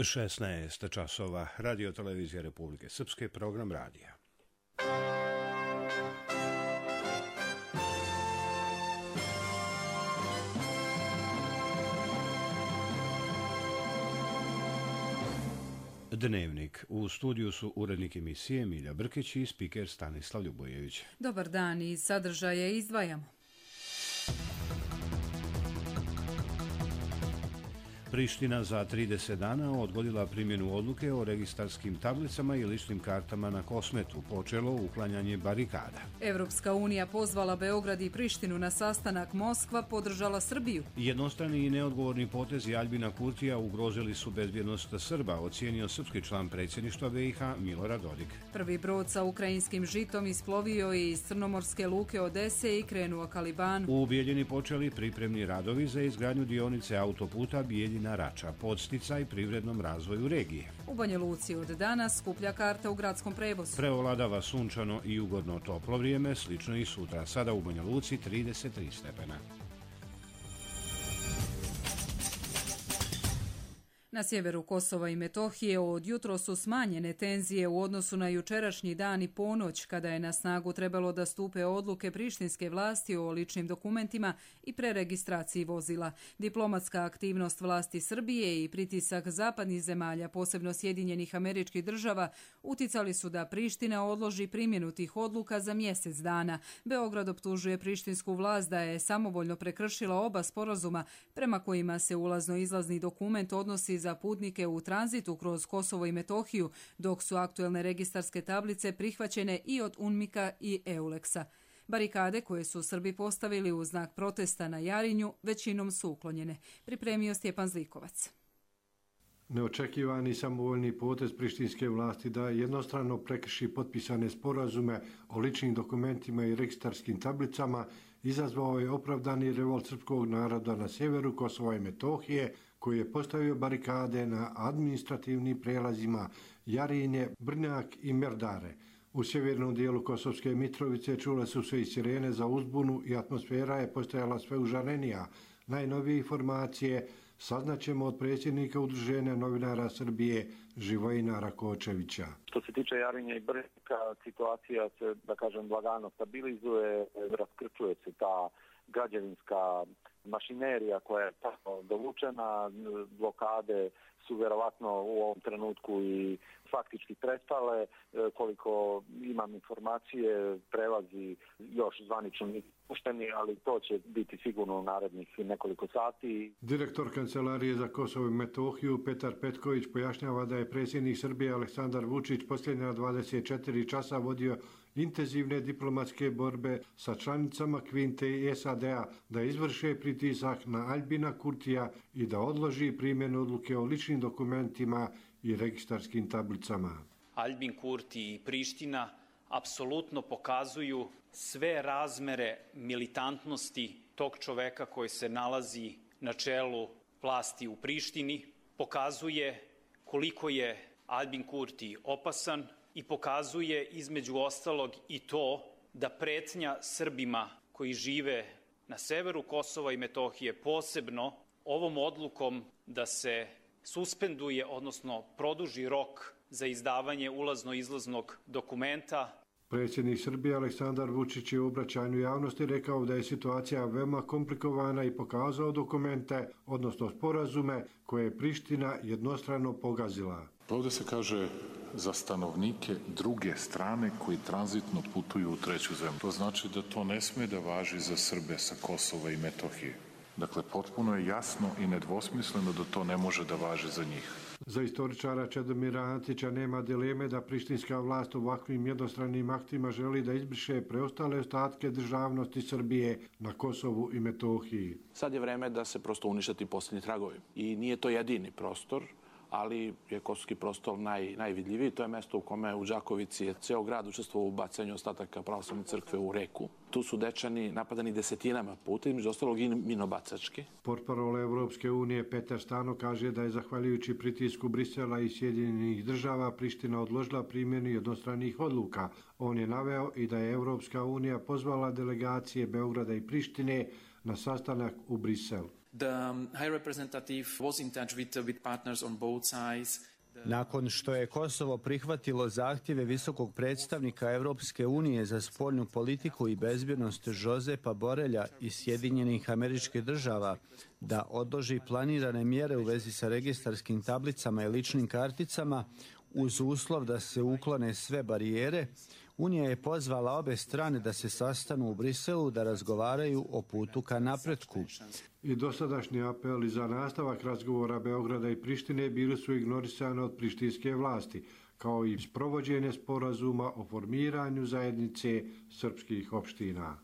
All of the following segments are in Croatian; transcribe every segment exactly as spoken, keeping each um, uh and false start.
šesnaest časova, Radio Televizija Republike Srpske, program radija. Dnevnik. U studiju su urednik emisije Milja Brkić i spiker Stanislav Ljubojević. Dobar dan, iz sadržaja izdvajamo. Priština za trideset dana odgodila primjenu odluke o registarskim tablicama i ličnim kartama na Kosmetu, počelo uklanjanje barikada. Evropska unija pozvala Beograd i Prištinu na sastanak, Moskva podržala Srbiju. Jednostrani i neodgovorni potezi Aljbina Kurtija ugrozili su bezbjednost Srba, ocijenio srpski član predsjedništva B i H Milorad Dodik. Prvi brod sa ukrajinskim žitom isplovio je iz crnomorske luke Odese i krenuo ka Libanu. U Bijeljini počeli pripremni radovi za izgradnju dionice autoputa Bijeljina Rača, podsticaj privrednom razvoju regije. U Banja Luci od danas skuplja karta u gradskom prevozu. Preovladava sunčano i ugodno toplo vrijeme, slično i sutra. Sada u Banja Luci trideset tri stepena. Na sjeveru Kosova i Metohije od jutro su smanjene tenzije u odnosu na jučerašnji dan i ponoć, kada je na snagu trebalo da stupe odluke prištinske vlasti o ličnim dokumentima i preregistraciji vozila. Diplomatska aktivnost vlasti Srbije i pritisak zapadnih zemalja, posebno Sjedinjenih Američkih Država, uticali su da Priština odloži primjenu tih odluka za mjesec dana. Beograd optužuje prištinsku vlast da je samovoljno prekršila oba sporazuma prema kojima se ulazno-izlazni dokument odnosi za putnike u tranzitu kroz Kosovo i Metohiju, dok su aktuelne registarske tablice prihvaćene i od UNMIK-a i EULEX-a. Barikade koje su Srbi postavili u znak protesta na Jarinju većinom su uklonjene. Pripremio Stjepan Zlikovac. Neočekivani samovoljni potez prištinske vlasti da jednostrano prekrši potpisane sporazume o ličnim dokumentima i registarskim tablicama izazvao je opravdani revolt srpskog naroda na sjeveru Kosova i Metohije, koji je postavio barikade na administrativnim prijelazima Jarinje, Brnjak i Merdare. U sjevernom dijelu Kosovske Mitrovice čule su se i sirene za uzbunu i atmosfera je postajala sve užarenija. Najnovije informacije saznaćemo od predsjednika Udruženja novinara Srbije Živojina Rakočevića. Što se tiče Jarinja i Brnjaka, situacija se, da kažem, lagano stabilizuje, raskrčuje se ta građevinska mašinerija koja je tako dovučena, blokade su vjerovatno u ovom trenutku i faktički prestale, koliko imam informacije, prelazi još zvanično pušteni, ali to će biti sigurno u narednih nekoliko sati. Direktor Kancelarije za Kosovo i Metohiju Petar Petković pojašnjava da je predsjednik Srbije Aleksandar Vučić posljednja dvadeset četiri časa vodio intenzivne diplomatske borbe sa članicama Kvinte i S A D-a da izvrše pritisak na Aljbina Kurtija i da odloži primjenu odluke o ličnim dokumentima i registarskim tablicama. Aljbin Kurti i Priština apsolutno pokazuju sve razmere militantnosti tog čoveka koji se nalazi na čelu vlasti u Prištini, pokazuje koliko je Aljbin Kurti opasan i pokazuje između ostalog i to da pretnja Srbima koji žive na severu Kosova i Metohije, posebno ovom odlukom da se suspenduje, odnosno produži rok za izdavanje ulazno-izlaznog dokumenta. Predsjednik Srbije Aleksandar Vučić je u obraćanju javnosti rekao da je situacija veoma komplikovana i pokazao dokumente, odnosno sporazume, koje je Priština jednostrano pogazila. Ovdje se kaže za stanovnike druge strane koji tranzitno putuju u treću zemlju. To znači da to ne smije da važi za Srbe sa Kosova i Metohije. Dakle, potpuno je jasno i nedvosmisleno da to ne može da važi za njih. Za istoričara Čedomira Antića nema dileme da prištinska vlast ovakvim jednostranim aktima želi da izbriše preostale ostatke državnosti Srbije na Kosovu i Metohiji. Sad je vreme da se prosto uništati posljednji tragovi. I nije to jedini prostor, ali je kosovski prostor naj, najvidljiviji. To je mesto u kome u Đakovici je ceo grad učestvovao u bacanju ostataka pravoslavne crkve u reku. Tu su Dečani napadani desetinama puta, između ostalog i minobacački. Portparol Evropske unije Petar Stano kaže da je zahvaljujući pritisku Brisela i Sjedinjenih država Priština odložila primjenu jednostranih odluka. On je naveo i da je Evropska unija pozvala delegacije Beograda i Prištine na sastanak u Brisel. The High Representative was in touch with, with partners on both sides. Nakon što je Kosovo prihvatilo zahtjeve visokog predstavnika Europske unije za spoljnu politiku i bezbjednost Josepa Borrella iz Sjedinjenih Američkih Država da odloži planirane mjere u vezi sa registarskim tablicama i ličnim karticama uz uslov da se uklone sve barijere, Unija je pozvala obe strane da se sastanu u Briselu da razgovaraju o putu ka napretku. I dosadašnji apeli za nastavak razgovora Beograda i Prištine bili su ignorisani od prištinske vlasti, kao i sprovođenje sporazuma o formiranju zajednice srpskih opština.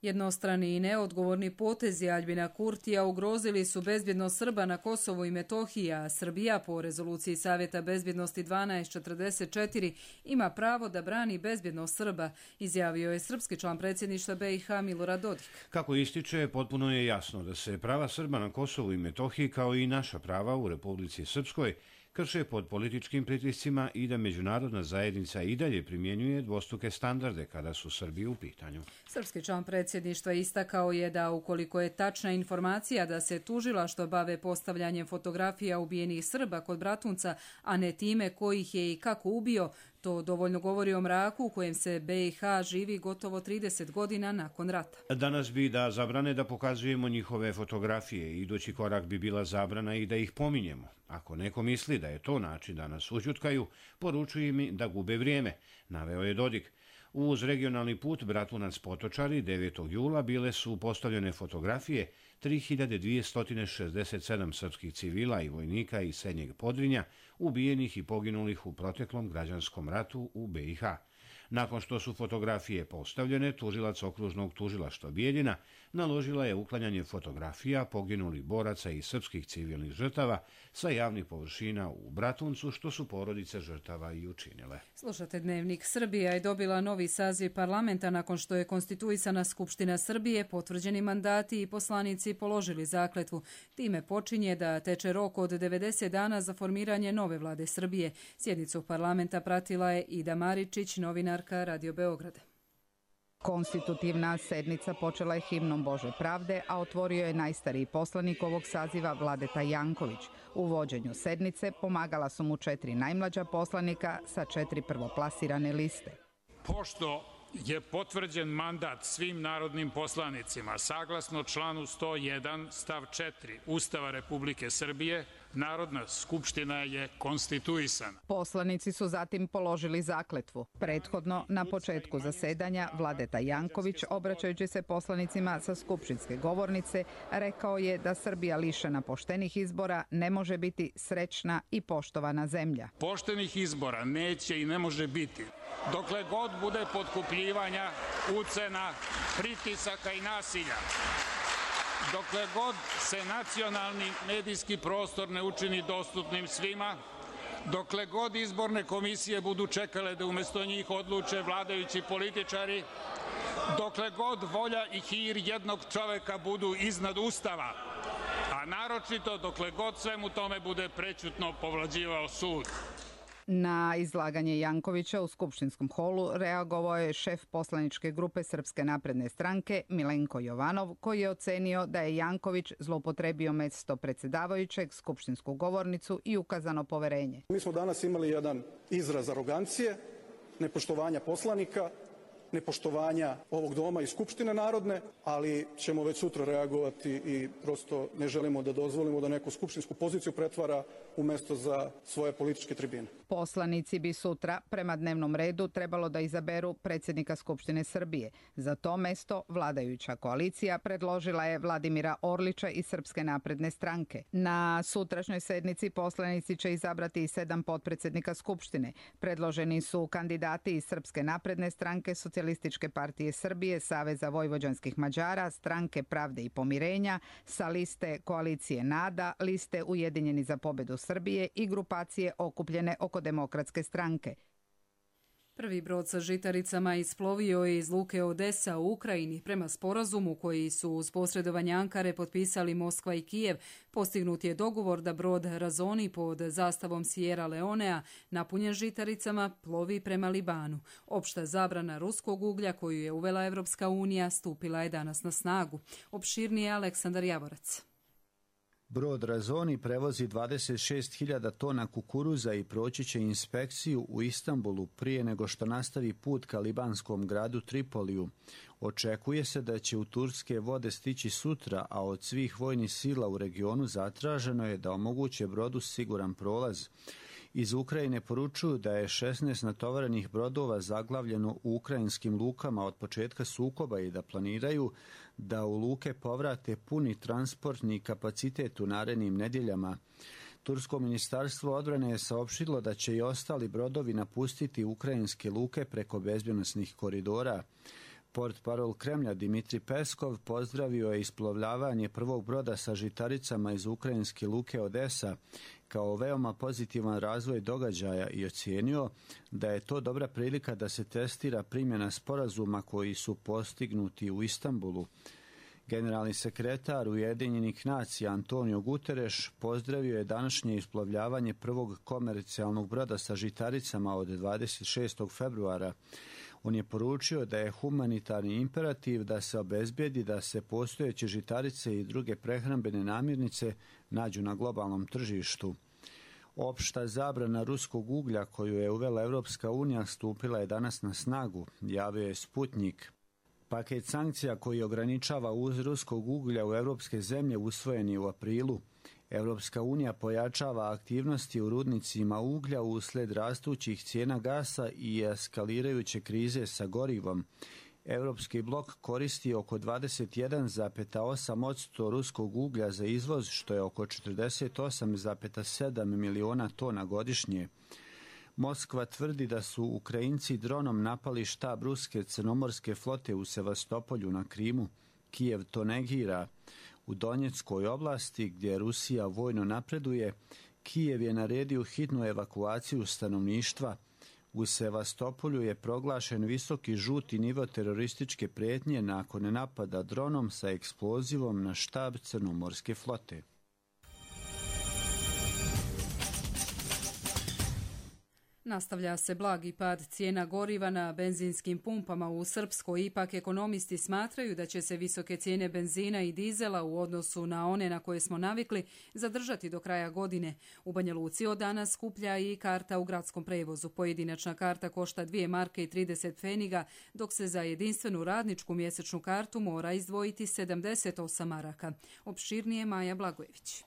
Jednostrani i neodgovorni potezi Aljbina Kurtija ugrozili su bezbjednost Srba na Kosovu i Metohiji, a Srbija po rezoluciji Savjeta bezbjednosti dvanaest četrdeset četiri ima pravo da brani bezbjednost Srba, izjavio je srpski član predsjedništva B i H Milorad Dodik. Kako ističe, potpuno je jasno da se prava Srba na Kosovu i Metohiji kao i naša prava u Republici Srpskoj krše pod političkim pritiscima i da međunarodna zajednica i dalje primjenjuje dvostruke standarde kada su Srbi u pitanju. Srpski član predsjedništva istakao je da ukoliko je tačna informacija da se tužilaštvo bave postavljanjem fotografija ubijenih Srba kod Bratunca, a ne time ko ih je i kako ubio, to dovoljno govori o mraku u kojem se B i H živi gotovo trideset godina nakon rata. Danas bi da zabrane da pokazujemo njihove fotografije. Idući korak bi bila zabrana i da ih pominjemo. Ako neko misli da je to način da nas ućutkaju, poručuju mi da gube vrijeme, naveo je Dodik. Uz regionalni put Bratunac-Potočari devetog jula bile su postavljene fotografije tri hiljade dvjesto šezdeset sedam srpskih civila i vojnika iz Srednjeg Podrinja ubijenih i poginulih u proteklom građanskom ratu u B i H. Nakon što su fotografije postavljene, tužilac okružnog tužilaštva Bijeljina naložila je uklanjanje fotografija poginulih boraca i srpskih civilnih žrtava sa javnih površina u Bratuncu, što su porodice žrtava i učinile. Slušate Dnevnik. Srbija je dobila novi saziv parlamenta nakon što je konstituisana Skupština Srbije, potvrđeni mandati i poslanici položili zakletvu. Time počinje da teče rok od devedeset dana za formiranje nove vlade Srbije. Sjednicu parlamenta pratila je Ida Maričić, novinarka Radio Beograda. Konstitutivna sednica počela je himnom Bože pravde, a otvorio je najstariji poslanik ovog saziva Vladeta Janković. U vođenju sednice pomagala su mu četiri najmlađa poslanika sa četiri prvoplasirane liste. Pošto je potvrđen mandat svim narodnim poslanicima, saglasno članu sto jedan stav četiri Ustava Republike Srbije, Narodna skupština je konstituisana. Poslanici su zatim položili zakletvu. Prethodno, na početku zasedanja, Vladeta Janković, obraćajući se poslanicima sa skupštinske govornice, rekao je da Srbija lišena poštenih izbora ne može biti srećna i poštovana zemlja. Poštenih izbora neće i ne može biti dokle god bude potkupljivanja, ucena, pritisaka i nasilja. Dokle god se nacionalni medijski prostor ne učini dostupnim svima, dokle god izborne komisije budu čekale da umjesto njih odluče vladajući političari, dokle god volja i hir jednog čoveka budu iznad Ustava, a naročito dokle god svemu tome bude prećutno povlađivao sud. Na izlaganje Jankovića u skupštinskom holu reagovao je šef poslaničke grupe Srpske napredne stranke Milenko Jovanov, koji je ocenio da je Janković zloupotrebio mjesto predsjedavajućeg, skupštinsku govornicu i ukazano poverenje. Mi smo danas imali jedan izraz arogancije, nepoštovanja poslanika, nepoštovanja ovog doma i Skupštine narodne, ali ćemo već sutra reagovati i prosto ne želimo da dozvolimo da neku skupštinsku poziciju pretvara u mesto za svoje političke tribine. Poslanici bi sutra prema dnevnom redu trebalo da izaberu predsjednika Skupštine Srbije. Za to mesto vladajuća koalicija predložila je Vladimira Orlića iz Srpske napredne stranke. Na sutrašnjoj sednici poslanici će izabrati i sedam potpredsjednika Skupštine. Predloženi su kandidati iz Srpske napredne stranke, Socijalističke partije Srbije, Saveza vojvođanskih Mađara, Stranke pravde i pomirenja, sa liste koalicije NADA, liste Ujedinjeni za pobedu Srbije i grupacije okupljene oko Demokratske stranke. Prvi brod sa žitaricama isplovio je iz luke Odesa u Ukrajini. Prema sporazumu koji su uz posredovanje Ankare potpisali Moskva i Kijev, postignut je dogovor da brod Razoni pod zastavom Sierra Leonea, napunjen žitaricama, plovi prema Libanu. Opšta zabrana ruskog uglja koju je uvela Evropska unija stupila je danas na snagu. Opširnije Aleksandar Javorac. Brod Razoni prevozi dvadeset šest hiljada tona kukuruza i proći će inspekciju u Istanbulu prije nego što nastavi put ka libanskom gradu Tripoliju. Očekuje se da će u turske vode stići sutra, a od svih vojnih sila u regionu zatraženo je da omoguće brodu siguran prolaz. Iz Ukrajine poručuju da je šesnaest natovarenih brodova zaglavljeno u ukrajinskim lukama od početka sukoba i da planiraju da u luke povrate puni transportni kapacitet u narednim nedjeljama. Tursko ministarstvo odbrane je saopštilo da će i ostali brodovi napustiti ukrajinske luke preko bezbjednosnih koridora. Portparol Kremlja Dmitri Peskov pozdravio je isplovljavanje prvog broda sa žitaricama iz ukrajinske luke Odesa kao veoma pozitivan razvoj događaja i ocijenio da je to dobra prilika da se testira primjena sporazuma koji su postignuti u Istanbulu. Generalni sekretar Ujedinjenih nacija Antonio Guterres pozdravio je današnje isplovljavanje prvog komercijalnog broda sa žitaricama od dvadeset šestog februara. On je poručio da je humanitarni imperativ da se obezbijedi da se postojeće žitarice i druge prehrambene namirnice nađu na globalnom tržištu. Opšta zabrana ruskog uglja koju je uvela Evropska unija stupila je danas na snagu, javio je Sputnik. Paket sankcija koji ograničava uvoz ruskog uglja u evropske zemlje usvojen je u aprilu. Evropska unija pojačava aktivnosti u rudnicima uglja usled rastućih cijena gasa i eskalirajuće krize sa gorivom. Evropski blok koristi oko dvadeset jedan zarez osam posto ruskog uglja za izvoz, što je oko četrdeset osam zarez sedam miliona tona godišnje. Moskva tvrdi da su Ukrajinci dronom napali štab ruske crnomorske flote u Sevastopolju na Krimu. Kijev to negira. U Donjeckoj oblasti, gdje Rusija vojno napreduje, Kijev je naredio hitnu evakuaciju stanovništva. U Sevastopolju je proglašen visoki žuti nivo terorističke prijetnje nakon napada dronom sa eksplozivom na štab crnomorske flote. Nastavlja se blagi pad cijena goriva na benzinskim pumpama u Srpskoj. Ipak ekonomisti smatraju da će se visoke cijene benzina i dizela u odnosu na one na koje smo navikli zadržati do kraja godine. U Banja Luci od danas skuplja i karta u gradskom prevozu. Pojedinačna karta košta dvije marke i trideset pfeniga, dok se za jedinstvenu radničku mjesečnu kartu mora izdvojiti sedamdeset osam maraka. Opširnije Maja Blagojević.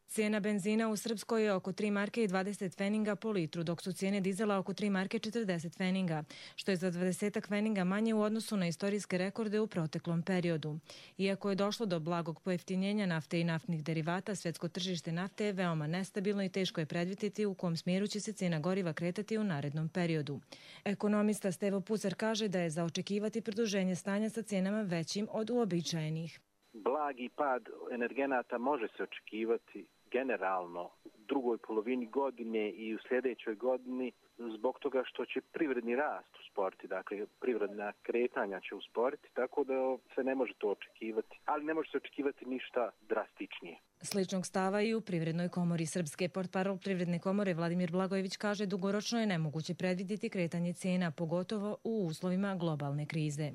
Cijena benzina u Srpskoj je oko tri marke i dvadeset pfeninga po litru, dok su cijene dizela oko tri marke i četrdeset pfeninga, što je za dvadeset pfeninga manje u odnosu na istorijske rekorde u proteklom periodu. Iako je došlo do blagog pojeftinjenja nafte i naftnih derivata, svjetsko tržište nafte je veoma nestabilno i teško je predvidjeti u kom smjeru će se cijena goriva kretati u narednom periodu. Ekonomista Stevo Pucar kaže da je za očekivati produženje stanja sa cijenama većim od uobičajenih. Blagi pad energenata može se očekivati generalno u drugoj polovini godine i u sljedećoj godini zbog toga što će privredni rast usporiti, dakle privredna kretanja će usporiti, tako da se ne može to očekivati, ali ne može se očekivati ništa drastičnije. Sličnog stava i u Privrednoj komori Srpske. Portparol Privredne komore Vladimir Blagojević kaže dugoročno je nemoguće predvidjeti kretanje cijena, pogotovo u uslovima globalne krize.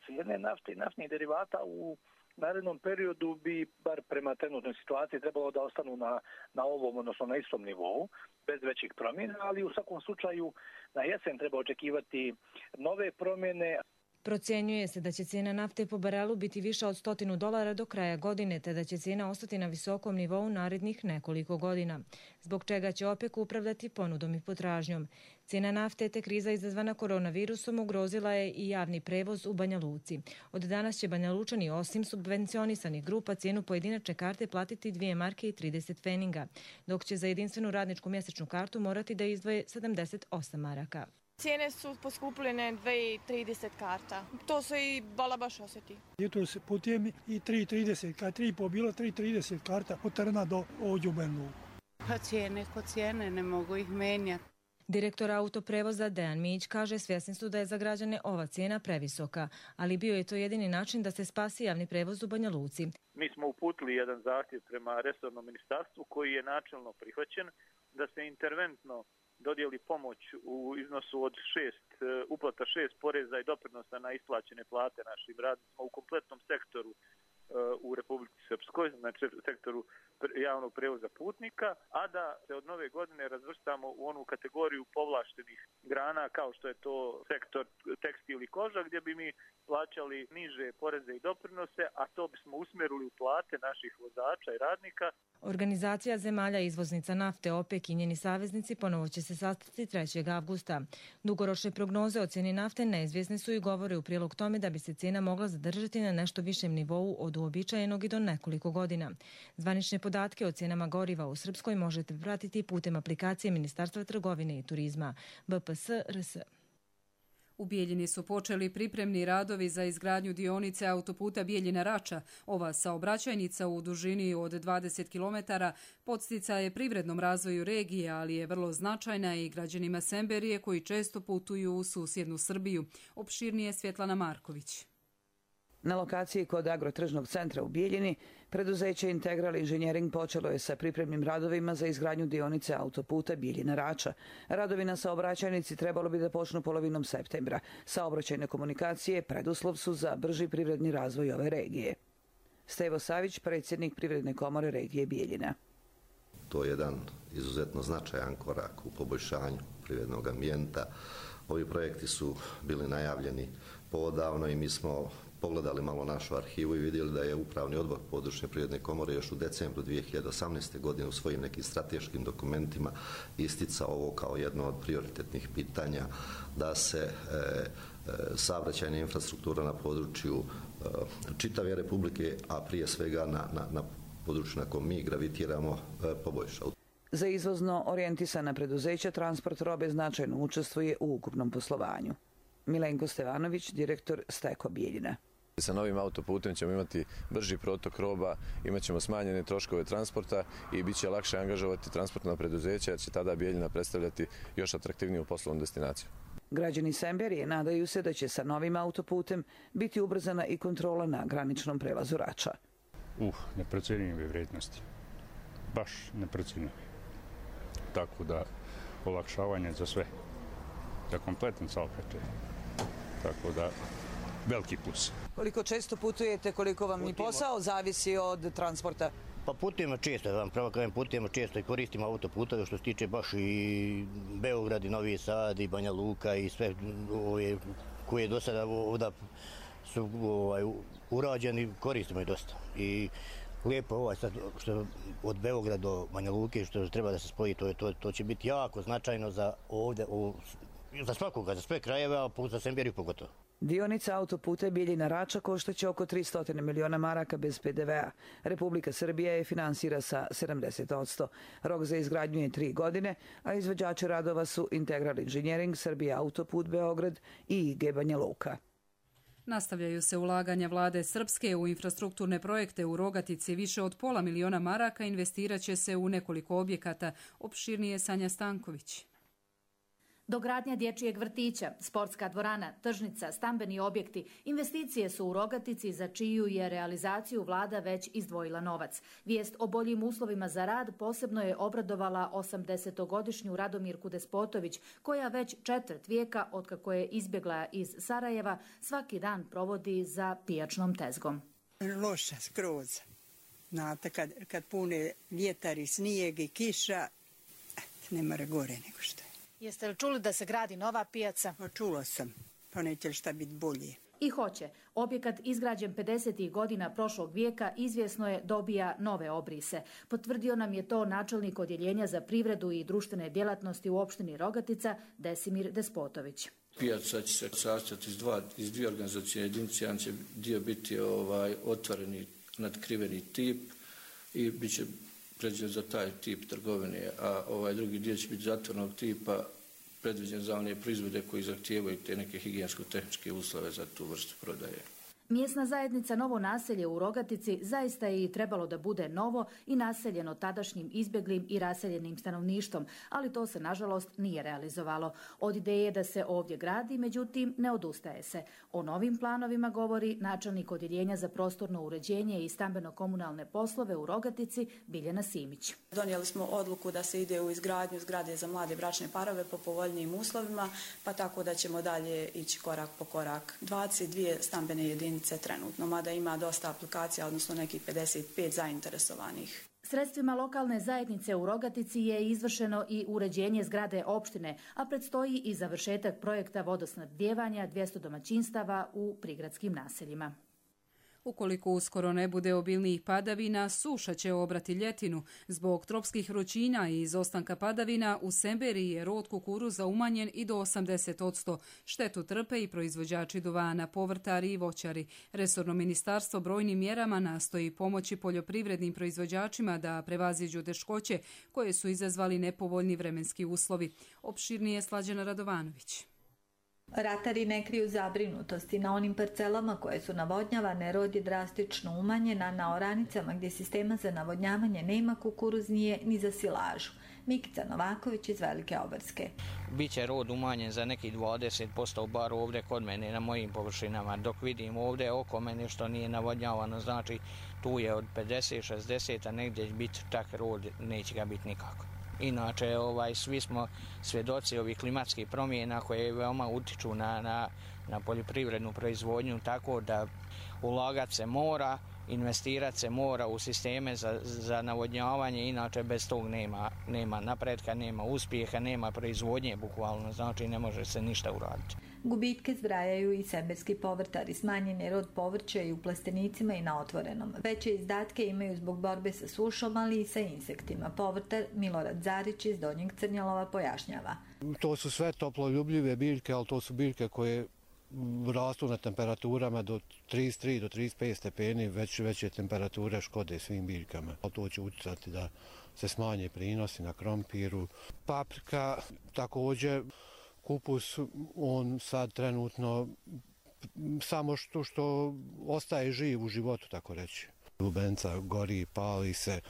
Cijene nafte i naftnih derivata u narednom periodu bi, bar prema trenutnoj situaciji, trebalo da ostanu na, na ovom, odnosno na istom nivou, bez većih promjena, ali u svakom slučaju na jesen treba očekivati nove promjene. Procjenjuje se da će cijena nafte po barelu biti više od stotinu dolara do kraja godine, te da će cijena ostati na visokom nivou narednih nekoliko godina, zbog čega će OPEC upravljati ponudom i potražnjom. Cijena nafte te kriza izazvana koronavirusom ugrozila je i javni prevoz u Banja Luci. Od danas će Banja Lučani osim subvencionisanih grupa cijenu pojedinačne karte platiti dvije marke i trideset pfeninga, dok će za jedinstvenu radničku mjesečnu kartu morati da izdvoje sedamdeset osam maraka. Cijene su poskupljene dve trideset karta. To se i bala baš osjeti. Jutro se putujem i tri trideset, kad tri po bilo tri trideset karta od Trna do ovdje u Banja Luku. Pa cijene ko cijene, ne mogu ih menjati. Direktor autoprevoza Dejan Mić kaže svjesni su da je za građane ova cijena previsoka, ali bio je to jedini način da se spasi javni prevoz u Banja Luci. Mi smo uputili jedan zahtjev prema resornom ministarstvu koji je načelno prihvaćen da se interventno dodijeli pomoć u iznosu od šest, uplata šest poreza i doprinosa na isplaćene plate našim radnicima u kompletnom sektoru u Republici Srpskoj, znači sektoru javnog prevoza putnika, a da se od nove godine razvrstamo u onu kategoriju povlaštenih grana kao što je to sektor tekstil i koža, gdje bi mi plaćali niže poreze i doprinose, a to bismo usmjerili u plate naših vozača i radnika. Organizacija zemalja izvoznica nafte OPEC i njeni saveznici ponovo će se sastati trećeg avgusta. Dugoročne prognoze o cijeni nafte neizvjesne su i govore u prilog tome da bi se cijena mogla zadržati na nešto višem nivou od uobičajenog i do nekoliko godina. Zvanične podatke o cijenama goriva u Srpskoj možete pratiti putem aplikacije Ministarstva trgovine i turizma B P S R S. U Bijeljini su počeli pripremni radovi za izgradnju dionice autoputa Bijeljina-Rača. Ova saobraćajnica u dužini od dvadeset kilometara podsticaj je privrednom razvoju regije, ali je vrlo značajna i građanima Semberije koji često putuju u susjednu Srbiju. Opširnije Svjetlana Marković. Na lokaciji kod agrotržnog centra u Bijeljini, preduzeće Integral Inženjering počelo je sa pripremnim radovima za izgradnju dionice autoputa Bijeljina-Rača. Radovi na saobraćajnici trebalo bi da počnu polovinom septembra. Saobraćajne komunikacije preduslov su za brži privredni razvoj ove regije. Stevo Savić, predsjednik Privredne komore regije Bijeljina. To je jedan izuzetno značajan korak u poboljšanju privrednog ambijenta. Ovi projekti su bili najavljeni poodavno i mi smo pogledali malo našu arhivu i vidjeli da je Upravni odbor područne privredne komore još u decembru dvije hiljade osamnaeste. godine u svojim nekim strateškim dokumentima isticao ovo kao jedno od prioritetnih pitanja da se e, e, saobraćajna infrastruktura na području e, čitave Republike, a prije svega na, na, na području na kojem mi gravitiramo e, poboljša. Za izvozno orijentisana preduzeća transport robe značajno učestvuje u ukupnom poslovanju. Milenko Stevanović, direktor Steko Bijeljina. Sa novim autoputem ćemo imati brži protok roba, imat ćemo smanjene troškove transporta i bit će lakše angažovati transportna preduzeća jer će tada Bijeljina predstavljati još atraktivniju poslovnu destinaciju. Građani Semberije nadaju se da će sa novim autoputem biti ubrzana i kontrola na graničnom prelazu Rača. Uh, neprocjenjive vrijednosti. Baš neprocjenjive. Tako da olakšavanje za sve. Za kompletan saobraćaj. Tako da veliki plus. Koliko često putujete, koliko vam i posao zavisi od transporta? Pa putujemo često, vam pravo kažem, putujemo često i koristimo autoputove što se tiče baš i Beograd i Novi Sad i Banja Luka i sve ove koje do sada ovdje su ovaj, urađeni, koristimo i dosta. I lijepo ovaj sad što od Beograda do Banja Luke što treba da se spoji, to, to, to će biti jako značajno za ovdje, o, za svakoga, za sve krajeve, a za Semberiju pogotovo. Dionica autoputa Bijeljina-Rača koštaće oko tristo miliona maraka bez P D V A. Republika Srbija je finansira sa sedamdeset posto. Rok za izgradnju je tri godine, a izvođači radova su Integral Inženjering, Srbija autoput Beograd i I G Banja Luka. Nastavljaju se ulaganja vlade Srpske u infrastrukturne projekte u Rogatici. Više od pola miliona maraka investirat će se u nekoliko objekata. Opširnije Sanja Stanković. Dogradnja dječjeg vrtića, sportska dvorana, tržnica, stambeni objekti, investicije su u Rogatici za čiju je realizaciju vlada već izdvojila novac. Vijest o boljim uslovima za rad posebno je obradovala osamdesetogodišnju Radomirku Despotović, koja već četvrt vijeka, otkako je izbjegla iz Sarajeva, svaki dan provodi za pijačnom tezgom. Loša skroz. Znate, kad, kad pune vjetar i snijeg i kiša, ne mora gore nego što je. Jeste li čuli da se gradi nova pijaca? Pa čula sam, pa neće li šta biti bolje. I hoće. Objekat izgrađen pedesetih godina prošlog vijeka izvjesno je dobija nove obrise. Potvrdio nam je to načelnik odjeljenja za privredu i društvene djelatnosti u opštini Rogatica Desimir Despotović. Pijaca će se sastojati iz, dva, iz dvije organizacijne jedinice, jedan će dio biti ovaj, otvoreni nadkriveni tip i bit će predviđen za taj tip trgovine, a ovaj drugi dio će biti zatvornog tipa predviđen za one proizvode koji zahtijevaju te neke higijensko-tehničke uslove za tu vrstu prodaje. Mjesna zajednica Novo naselje u Rogatici zaista je i trebalo da bude novo i naseljeno tadašnjim izbjeglim i raseljenim stanovništvom, ali to se nažalost nije realizovalo. Od ideje da se ovdje gradi, međutim, ne odustaje se. O novim planovima govori načelnik odjeljenja za prostorno uređenje i stambeno-komunalne poslove u Rogatici Biljana Simić. Donijeli smo odluku da se ide u izgradnju zgrade za mlade bračne parove po povoljnijim uslovima, pa tako da ćemo dalje ići korak po korak. dvadeset dvije stambene jedinice trenutno, mada ima dosta aplikacija, odnosno nekih pedeset pet zainteresovanih. Sredstvima lokalne zajednice u Rogatici je izvršeno i uređenje zgrade opštine, a predstoji i završetak projekta vodosnabdijevanja dvjesto domaćinstava u prigradskim naseljima. Ukoliko uskoro ne bude obilnijih padavina, suša će obrati ljetinu. Zbog tropskih vrućina i izostanka padavina u Semberiji je rod kukuruza umanjen i do osamdeset posto. Štetu trpe i proizvođači duvana, povrtari i voćari. Resorno ministarstvo brojnim mjerama nastoji pomoći poljoprivrednim proizvođačima da prevaziđu teškoće koje su izazvali nepovoljni vremenski uslovi. Opširnije Slađana Radovanović. Ratari ne kriju zabrinutosti. Na onim parcelama koje su navodnjavane, rod je drastično umanjen, a na oranicama gdje sistema za navodnjavanje nema kukuruz nije ni za silažu. Mikica Novaković iz Velike Obarske. Biće rod umanjen za neki dvadeset posto bar ovdje kod mene na mojim površinama. Dok vidim ovdje oko mene što nije navodnjavano, znači tu je od pedeset šezdeset, a negdje će biti tak rod, neće ga biti nikako. Inače, ovaj, svi smo svjedoci ovih klimatskih promjena koje veoma utiču na, na, na poljoprivrednu proizvodnju, tako da ulagat se mora, investirati se mora u sisteme za, za navodnjavanje, inače bez tog nema, nema napretka, nema uspjeha, nema proizvodnje bukvalno, znači ne može se ništa uraditi. Gubitke zbrajaju i semberski povrtari, smanjen je rod povrća i u plastenicima i na otvorenom. Veće izdatke imaju zbog borbe sa sušom, ali i sa insektima. Povrtar Milorad Zarić iz Donjeg Crnjalova pojašnjava. To su sve toploljubljive biljke, ali to su biljke koje rastu na temperaturama do trideset tri do trideset pet stepeni, već veće temperature škode svim biljkama. To će utjecati da se smanje prinosi na krompiru. Paprika također, kupus, on sad trenutno samo što, što ostaje živ u životu, tako reći. Lubenica gori, pali se,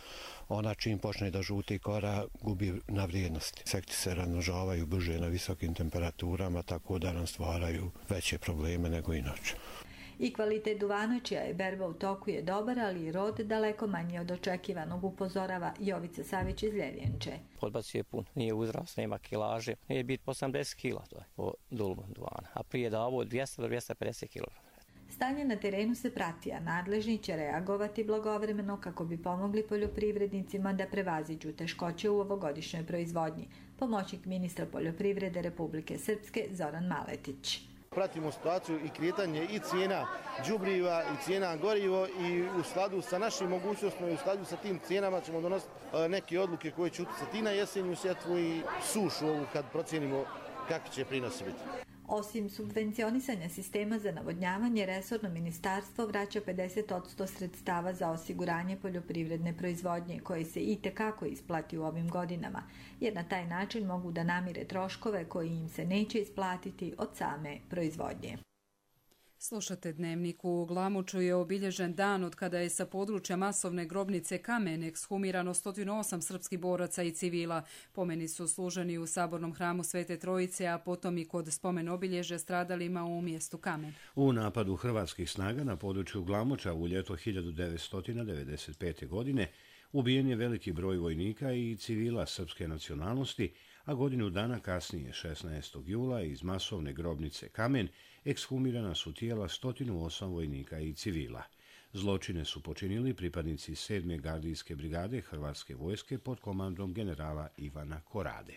ona čim počne da žuti kora gubi na vrijednosti. Insekti se razmnožavaju brže na visokim temperaturama, tako da nam stvaraju veće probleme nego inače. I kvalitet duvana, čija je berba u toku, je dobar, ali i rod daleko manji od očekivanog, upozorava Jovica Savić iz Ljevijenče. Podbac je pun, nije uzrast, nema kilaže, nije biti osamdeset kila to je po dulmu duvana, a prije da ovo dvjesto do dvjesto pedeset kilograma. Stanje na terenu se prati, a nadležni će reagovati blagovremeno kako bi pomogli poljoprivrednicima da prevaziđu teškoće u ovogodišnjoj proizvodnji. Pomoćnik ministra poljoprivrede Republike Srpske Zoran Maletić. Pratimo situaciju i kretanje i cijena đubriva i cijena gorivo i u skladu sa našim mogućnostima i u skladu sa tim cijenama ćemo donositi neke odluke koje će utjecati i na jesenju sjetvu i sušu ovu kad procijenimo kakvi će prinosi biti. Osim subvencionisanja sistema za navodnjavanje, resorno ministarstvo vraća pedeset posto sredstava za osiguranje poljoprivredne proizvodnje, koji se i tekako isplati u ovim godinama, jer na taj način mogu da namire troškove koji im se neće isplatiti od same proizvodnje. Slušate Dnevnik. U Glamuču je obilježen dan od kada je sa područja masovne grobnice Kamen ekshumirano sto osam srpskih boraca i civila. Pomeni su služeni u sabornom hramu Svete Trojice, a potom i kod spomen obilježe stradalima u mjestu Kamen. U napadu hrvatskih snaga na području Glamuča u ljeto hiljadu devetsto devedeset pete. godine ubijen je veliki broj vojnika i civila srpske nacionalnosti, a godinu dana kasnije, šesnaestog jula, iz masovne grobnice Kamen ekshumirana su tijela sto osam vojnika i civila. Zločine su počinili pripadnici sedme gardijske brigade Hrvatske vojske pod komandom generala Ivana Korade.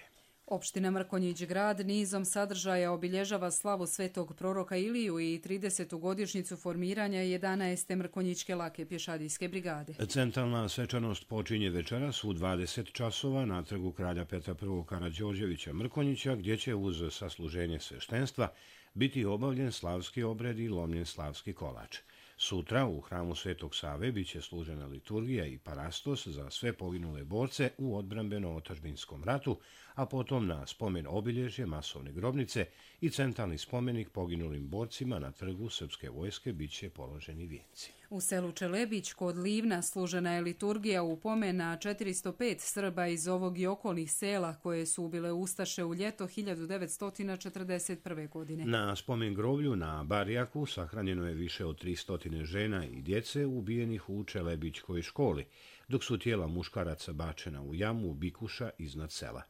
Opština Mrkonjić Grad nizom sadržaja obilježava slavu svetog proroka Iliju i tridesetu godišnjicu formiranja jedanaeste Mrkonjićke lake pješadijske brigade. Centralna svečanost počinje večeras u dvadeset časova na trgu kralja Petra I. Karađorđevića Mrkonjića, gdje će uz sasluženje sveštenstva biti obavljen slavski obred i lomljen slavski kolač. Sutra u hramu Svetog Save biće služena liturgija i parastos za sve poginule borce u odbrambeno-otadžbinskom ratu, a potom na spomen obilježje masovne grobnice i centralni spomenik poginulim borcima na trgu Srpske vojske biće položeni vijenci. U selu Čelebić kod Livna služena je liturgija u pomen na četiristo pet Srba iz ovog i okolnih sela koje su ubile ustaše u ljeto hiljadu devetsto četrdeset prve. godine. Na spomen groblju na Barjaku sahranjeno je više od tristo žena i djece ubijenih u Čelebićkoj školi, dok su tijela muškaraca bačena u jamu bikuša iznad sela.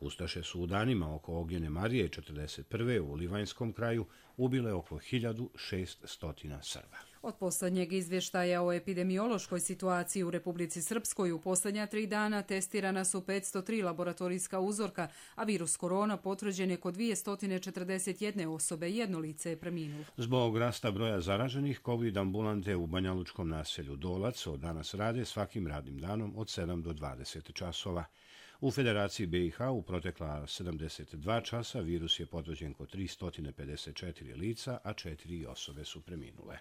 Ustaše su u danima oko Ognjene Marije četrdeset prve u Livanjskom kraju ubile oko hiljadu šeststo Srba. Od posljednjeg izvještaja o epidemiološkoj situaciji u Republici Srpskoj u posljednja tri dana testirana su petsto tri laboratorijska uzorka, a virus korona potvrđen je kod dvjesto četrdeset jedna osobe, jedno lice je preminulo. Zbog rasta broja zaraženih, COVID ambulante u banjalučkom naselju Dolac od danas rade svakim radnim danom od sedam do dvadeset časova. U Federaciji B i H u protekla sedamdeset dva časa virus je potvrđen kod tristo pedeset četiri lica, a četiri osobe su preminule.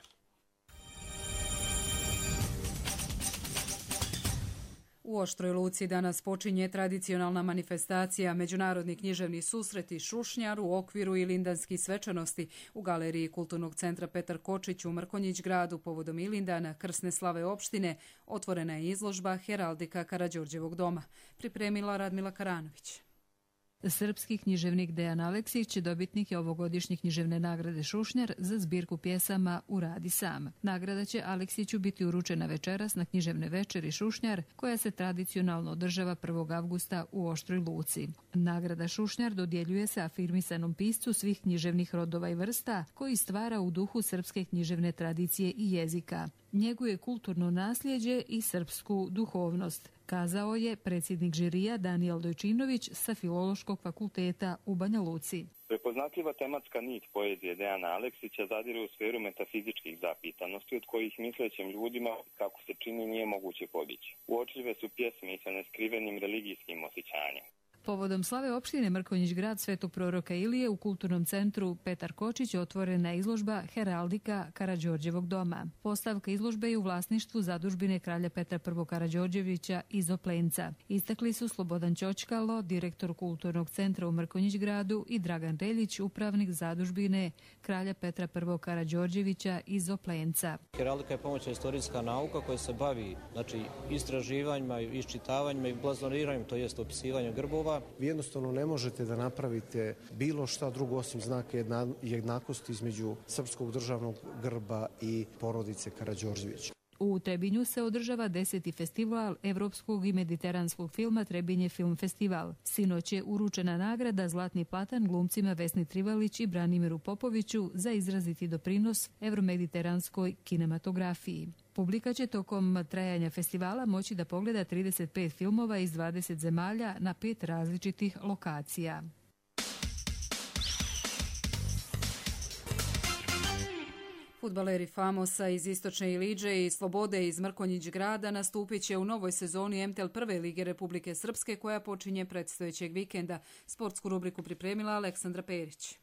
U Oštroj Luci danas počinje tradicionalna manifestacija Međunarodni književni susreti Šušnjar u okviru Ilindanskih svečanosti u galeriji Kulturnog centra Petar Kočić u Mrkonjić gradu povodom Ilindana krsne slave opštine otvorena je izložba Heraldika Karađorđevog doma. Pripremila Radmila Karanović. Srpski književnik Dejan Aleksić, dobitnik je ovogodišnje književne nagrade Šušnjar za zbirku pjesama Uradi sam. Nagrada će Aleksiću biti uručena večeras na književne večeri Šušnjar, koja se tradicionalno održava prvog avgusta u Oštroj Luci. Nagrada Šušnjar dodjeljuje se afirmisanom piscu svih književnih rodova i vrsta, koji stvara u duhu srpske književne tradicije i jezika. Njeguje kulturno nasljeđe i srpsku duhovnost, kazao je predsjednik žirija Danijel Dojčinović sa Filološkog fakulteta u Banja Luci. Prepoznatljiva tematska nit poezije Dejana Aleksića zadire u sferu metafizičkih zapitanosti od kojih mislećim ljudima, kako se čini, nije moguće podići. Uočljive su pjesme i sa neskrivenim religijskim osjećanjem. Povodom slave opštine Mrkonjić grad Svetog proroka Ilije u Kulturnom centru Petar Kočić otvorena je izložba Heraldika Karađorđevog doma. Postavka izložbe je u vlasništvu zadužbine kralja Petra prvog Karađorđevića iz Oplenca. Istakli su Slobodan Ćoćkalo, direktor Kulturnog centra u Mrkonjić gradu, i Dragan Reljić, upravnik zadužbine kralja Petra prvog Karađorđevića iz Oplenca. Heraldika je pomoćna istorijska nauka koja se bavi znači, istraživanjima, iščitavanjima i blazoniranjem, to jest opisivanjem grbova. Vi jednostavno ne možete da napravite bilo šta drugo osim znaka jedna, jednakosti između srpskog državnog grba i porodice Karađorđević. U Trebinju se održava deseti festival evropskog i mediteranskog filma Trebinje film festival. Sinoć je uručena nagrada Zlatni platan glumcima Vesni Trivalić i Branimiru Popoviću za izraziti doprinos evromediteranskoj kinematografiji. Publika će tokom trajanja festivala moći da pogleda trideset pet filmova iz dvadeset zemalja na pet različitih lokacija. Fudbaleri Famosa iz Istočne Ilidže i Slobode iz Mrkonjić grada nastupit će u novoj sezoni M T L prve lige Republike Srpske koja počinje predstojećeg vikenda. Sportsku rubriku pripremila Aleksandra Perić.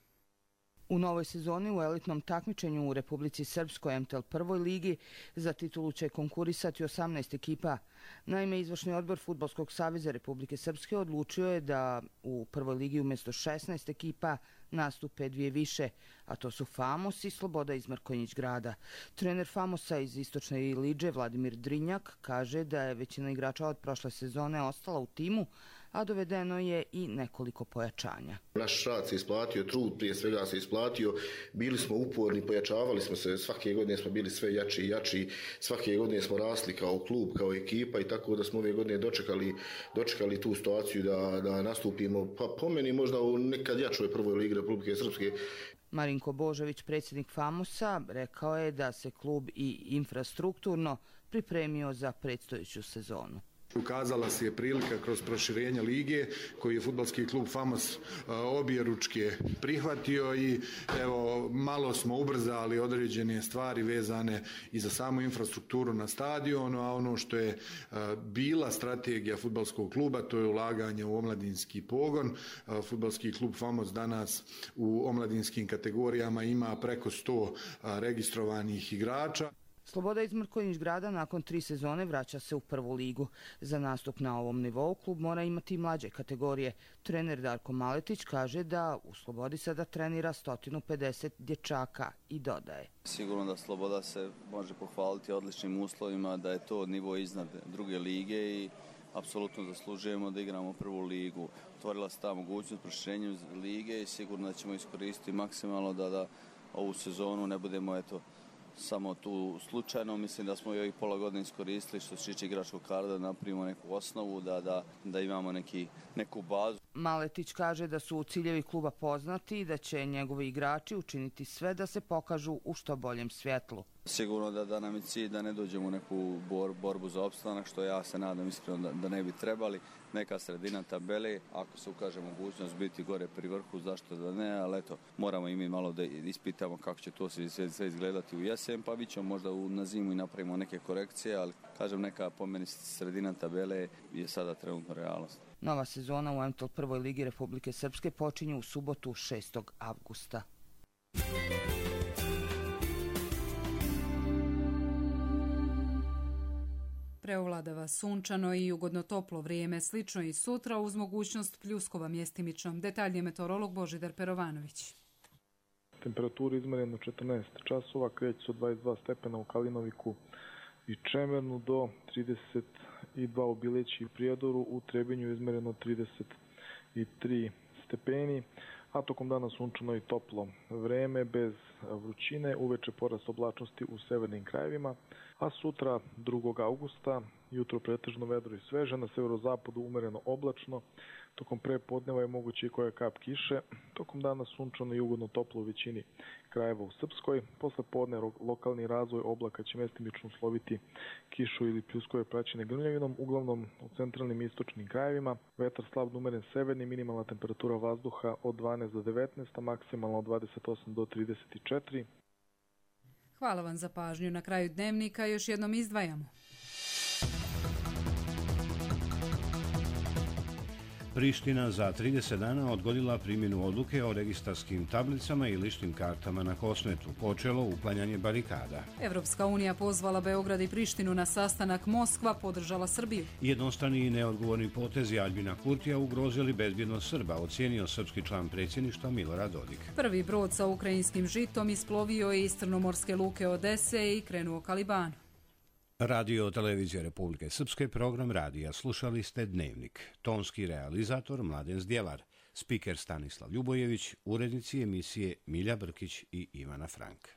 U novoj sezoni u elitnom takmičenju u Republici Srpskoj M T L prvoj ligi za titulu će konkurisati osamnaest ekipa. Naime, izvršni odbor Fudbalskog saveza Republike Srpske odlučio je da u prvoj ligi umjesto šesnaest ekipa nastupe dvije više, a to su Famos i Sloboda iz Mrkonjić grada. Trener Famosa iz Istočne Ilidže Vladimir Drinjak kaže da je većina igrača od prošle sezone ostala u timu, a dovedeno je i nekoliko pojačanja. Naš rad se isplatio, trud prije svega se isplatio, bili smo uporni, pojačavali smo se, svake godine smo bili sve jači i jači, svake godine smo rasli kao klub, kao ekipa i tako da smo ove godine dočekali, dočekali tu situaciju da, da nastupimo, pa po meni možda u nekad jačoj prvoj ligi Republike Srpske. Marinko Božović, predsjednik Famosa, rekao je da se klub i infrastrukturno pripremio za predstojeću sezonu. Ukazala se je prilika kroz proširenje lige koji je fudbalski klub Famos obje ručke prihvatio i evo malo smo ubrzali određene stvari vezane i za samu infrastrukturu na stadionu, a ono što je bila strategija fudbalskog kluba to je ulaganje u omladinski pogon. Fudbalski klub Famos danas u omladinskim kategorijama ima preko sto registrovanih igrača. Sloboda iz Mrkonjić Grada nakon tri sezone vraća se u prvu ligu. Za nastup na ovom nivou klub mora imati mlađe kategorije. Trener Darko Maletić kaže da u Slobodi sada trenira sto pedeset dječaka i dodaje. Sigurno da Sloboda se može pohvaliti odličnim uslovima, da je to nivo iznad druge lige i apsolutno zaslužujemo da igramo prvu ligu. Otvorila se ta mogućnost proširenjem lige i sigurno da ćemo iskoristiti maksimalno da, da ovu sezonu ne budemo eto samo tu slučajno. Mislim da smo i ovih pola godine iskoristili što se tiče igračkog kadra da napravimo neku osnovu, da, da, da imamo neki, neku bazu. Maletić kaže da su ciljevi kluba poznati i da će njegovi igrači učiniti sve da se pokažu u što boljem svjetlu. Sigurno da, da nam je cilj da ne dođemo u neku bor, borbu za opstanak, što ja se nadam iskreno da, da ne bi trebali. Neka sredina tabele, ako se ukaže mogućnost biti gore pri vrhu, zašto da ne, ali eto, moramo i mi malo da ispitamo kako će to sve, sve izgledati u jesen, pa vi ćemo možda u, na zimu i napravimo neke korekcije, ali kažem neka po meni sredina tabele je sada trenutno realnost. Nova sezona u M T L prvoj ligi Republike Srpske počinje u subotu šestog avgusta. Preovladava sunčano i ugodno toplo vrijeme, slično i sutra uz mogućnost pljuskova mjestimično. Detaljnije meteorolog Božidar Perovanović. Temperatura izmjerena četrnaest časova, kreće se od dvadeset dva stepena u Kalinoviku i Čemernu do trideset dva u Bileći i Prijedoru, u Trebinju izmjereno trideset tri stepeni, a tokom dana sunčano i toplo vreme bez vrućine, uveče porast oblačnosti u severnim krajevima, a sutra drugog avgusta jutro pretežno vedro i sveže, na severozapadu umereno oblačno, tokom prepodneva je moguće i koja kap kiše, tokom dana sunčano i ugodno toplo u većini krajeva u Srpskoj, posle podne lokalni razvoj oblaka će mestimično usloviti kišu ili pljuskove praćene grmljavinom, uglavnom u centralnim i istočnim krajevima, vetar slab umeren severni, minimalna temperatura vazduha od dvanaest do devetnaest, a maksimalno od dvadeset osam do trideset četiri. Hvala vam za pažnju. Na kraju dnevnika još jednom izdvajamo. Priština za trideset dana odgodila primjenu odluke o registarskim tablicama i ličnim kartama na Kosmetu. Počelo uklanjanje barikada. Evropska unija pozvala Beograd i Prištinu na sastanak, Moskva podržala Srbiju. Jednostrani i neodgovorni potezi Aljbina Kurtija ugrozili bezbjednost Srba, ocijenio srpski član predsjedništva Milorad Dodik. Prvi brod sa ukrajinskim žitom isplovio je iz crnomorske luke Odese i krenuo ka Libanu. Radio Televizija Republike Srpske, program radija. Slušali ste Dnevnik. Tonski realizator Mladen Zdjelar, spiker Stanislav Ljubojević, urednici emisije Milja Brkić i Ivana Frank.